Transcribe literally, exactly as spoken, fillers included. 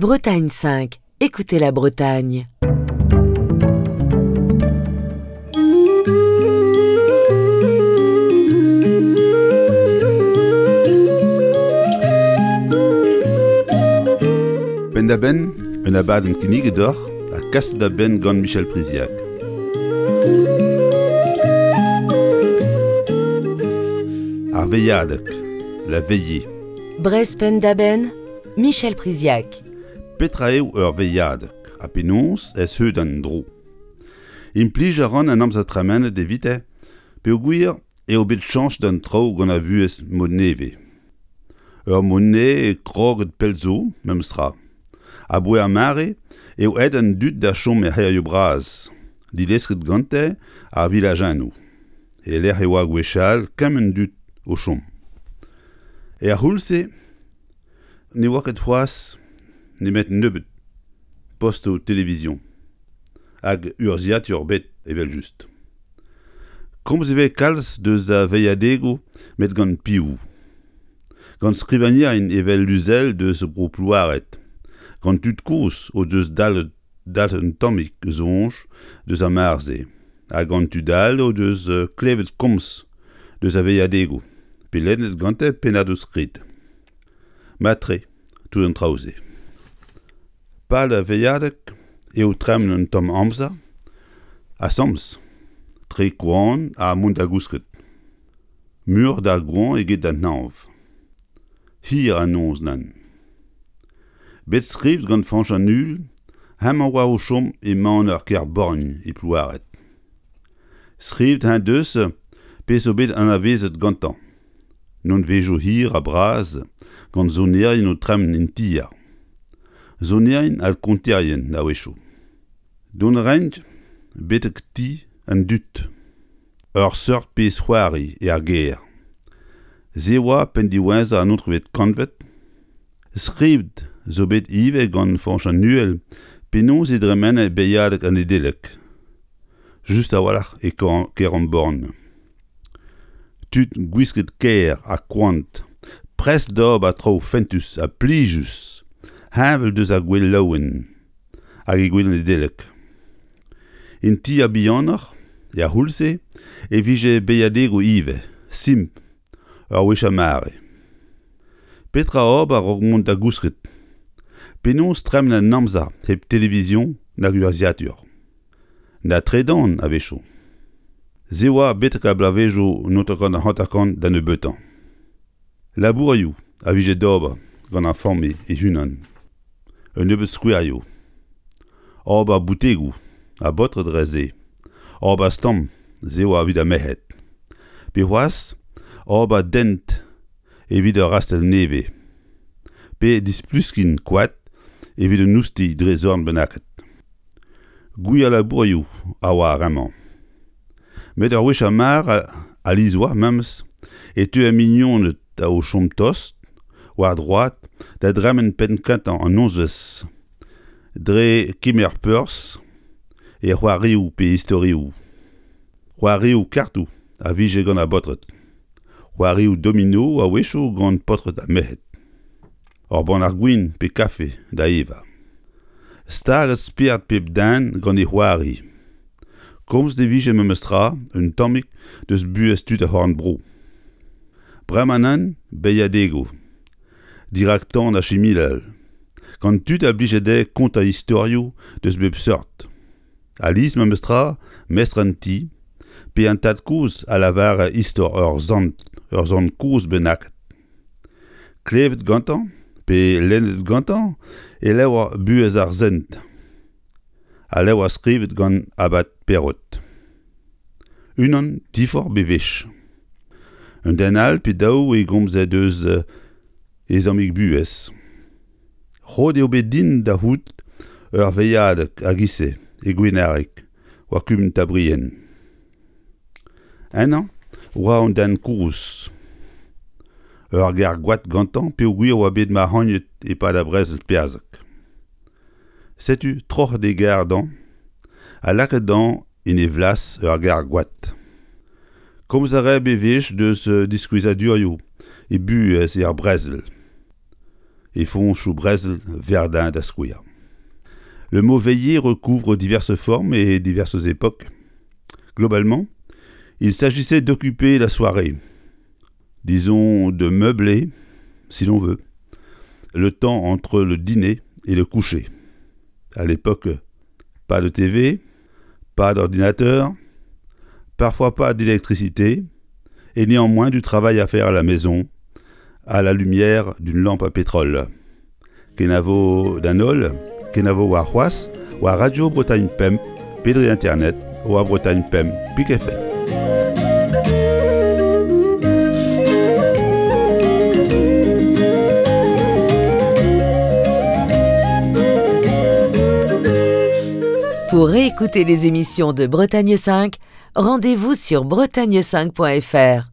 Bretagne cinq, écoutez la Bretagne. Penn-da-benn, un abadenn kinniget deoc'h ha kaset da benn gant Michel Priziac. Ar veilhadeg, la veillée. Breizh penn-da-benn, Michel Priziac. Petra eo ur veilhadeg ha penaos ez heut an dro. Implij a ran an amzer tremenet evite peogwir eo bet chañs d'an traoù gant ar vuhez mod nevez. Ur mod nevez kroget pell zo, memestra. Aboe ar mare eo aet an dud da chom er c'hêrioù bras, dilesket gante ar vilajennoù. E-lec'h e oa gwechall kement dud o chom. Er c'houlz-se ne oa ket c'hoazh nemet nebeut postoù televizion hag urzhiatur bet evel-just. Komz e vez kalz deus a veilhadegoù met gant piv ? Gant skrivagnerien evel Luzel deus Bro Plouared, gant tud kozh o deus dalc'het dalc'het un tammig soñj deus ar mare-se, ha gant tud all o deus klevet komz deus a veilhadegoù, pe lennet gante pennadoù-skrid. Mat-tre, tout an traoù-se. Pal ar veilhadeg eo tremen un tamm amzer asambles, tre koan ha mont da gousket. Muioc'h d'ar goañv eget d'an hañv. Hir an noz nann. Bet skrivet gant Fañch an Uhel, hemañ oa o chom e maner Kerborgn e Plouared. Skrivet en deus pezh zo bet anavezet gantañ. Nonvezioù hir ha bras gant sonerien o tremen en tier. Sonerien ha konterien a-wechoù. Dont a raint betek ti an dud. Ur seurt pezh c'hoari er gêr. Se oa penn diwezhañ an naontekvet kantved. Skrivet zo bet ivez gant Fañch an Uhel penaos e dremene beilhadeg an Nedeleg. Just a-walc'h e Keremborn. Tud gwisket kaer ha koant, prest d'ober traoù fentus ha plijus, heñvel deus ar gouel laouen hag e gouel Nedeleg. En ti ar bihanoc'h, er c'houlz-se, e vije beilhadegoù ivez, simpl, ur wech ar mare. Petra ober a-raok mont da gousket ? Penaos tremen an amzer hep televizion nag urzhiatur ? Na tredan a-wechoù. Se oa betek ar bloavezhioù naontek hanter-kant da nebeutañ. Labourioù a vije d'ober gant ar familh e-unan. Un nebeud skouerioù. Ober boutegoù ha baotred dre se. Ober stamm, se oa evit ar merc'hed. Pe c'hoazh, ober dent evit ur rastell nevez. Pe displuskin koad evit un oustilh dre zorn bennaket. Gwir labourioù a oa ar re-mañ. Met ur wech ar mare alies oa memes e teue mignoned o chom tost, war droad, da dremen penn kentañ an nozvezh dre kemer perzh e c'hoarioù pe istorioù. C'hoarioù kartoù a vije gant ar baotred. C'hoarioù domino a-wechoù gant paotred ha merc'hed. Ur bannac'h gwin pe kafe da evañ. Staget spered pep den gant e c'hoari. Komz e vije memestra un tammig deus buhez tud ar c'horn-bro. Bremañ nann, beilhadegoù. Dirak tan ar chiminal. Gant tud a blije dezhe kontañ istorioù deus bep seurt. Alies memestra, mestr an ti, pe an tad-kozh a lavare istor ur sant, ur sant kozh bennaket. Klevet gantañ, pe lennet gantañ, e levr Buhez ar Sent. Al levr skrivet gant Abad Perrot. Unan diforc'h bewech. Un den all pe daou e gomze deus e zammig buhez. Roet eo bet din da c'hoût ur veilhadeg a-giz-se e Gwenareg, war kumun Tabrien. Ennañ oa un den kozh. Ur gar goad gantañ peogwir oa bet mac'hagnet e-pad ar brezel perzhek. Setu troc'het e gar dañ ha lakaet dañ en e vlas ur gar goad. Komz a rae bewech deus diskouezadurioù e buhez er brezel. E foñchoù brezel Verdun da skouer. Le mot veiller recouvre diverses formes et diverses époques. Globalement, il s'agissait d'occuper la soirée, disons de meubler, si l'on veut, le temps entre le dîner et le coucher. À l'époque, pas de T V, pas d'ordinateur, parfois pas d'électricité, et néanmoins du travail à faire à la maison, à la lumière d'une lampe à pétrole. Kenavo d'an holl, kenavo war c'hoazh, war Radio Bretagne Pemp, pe dre internet, war Bretagne Pemp, pik F M. Pour réécouter les émissions de Bretagne cinq, rendez-vous sur bretagne cinq point F R.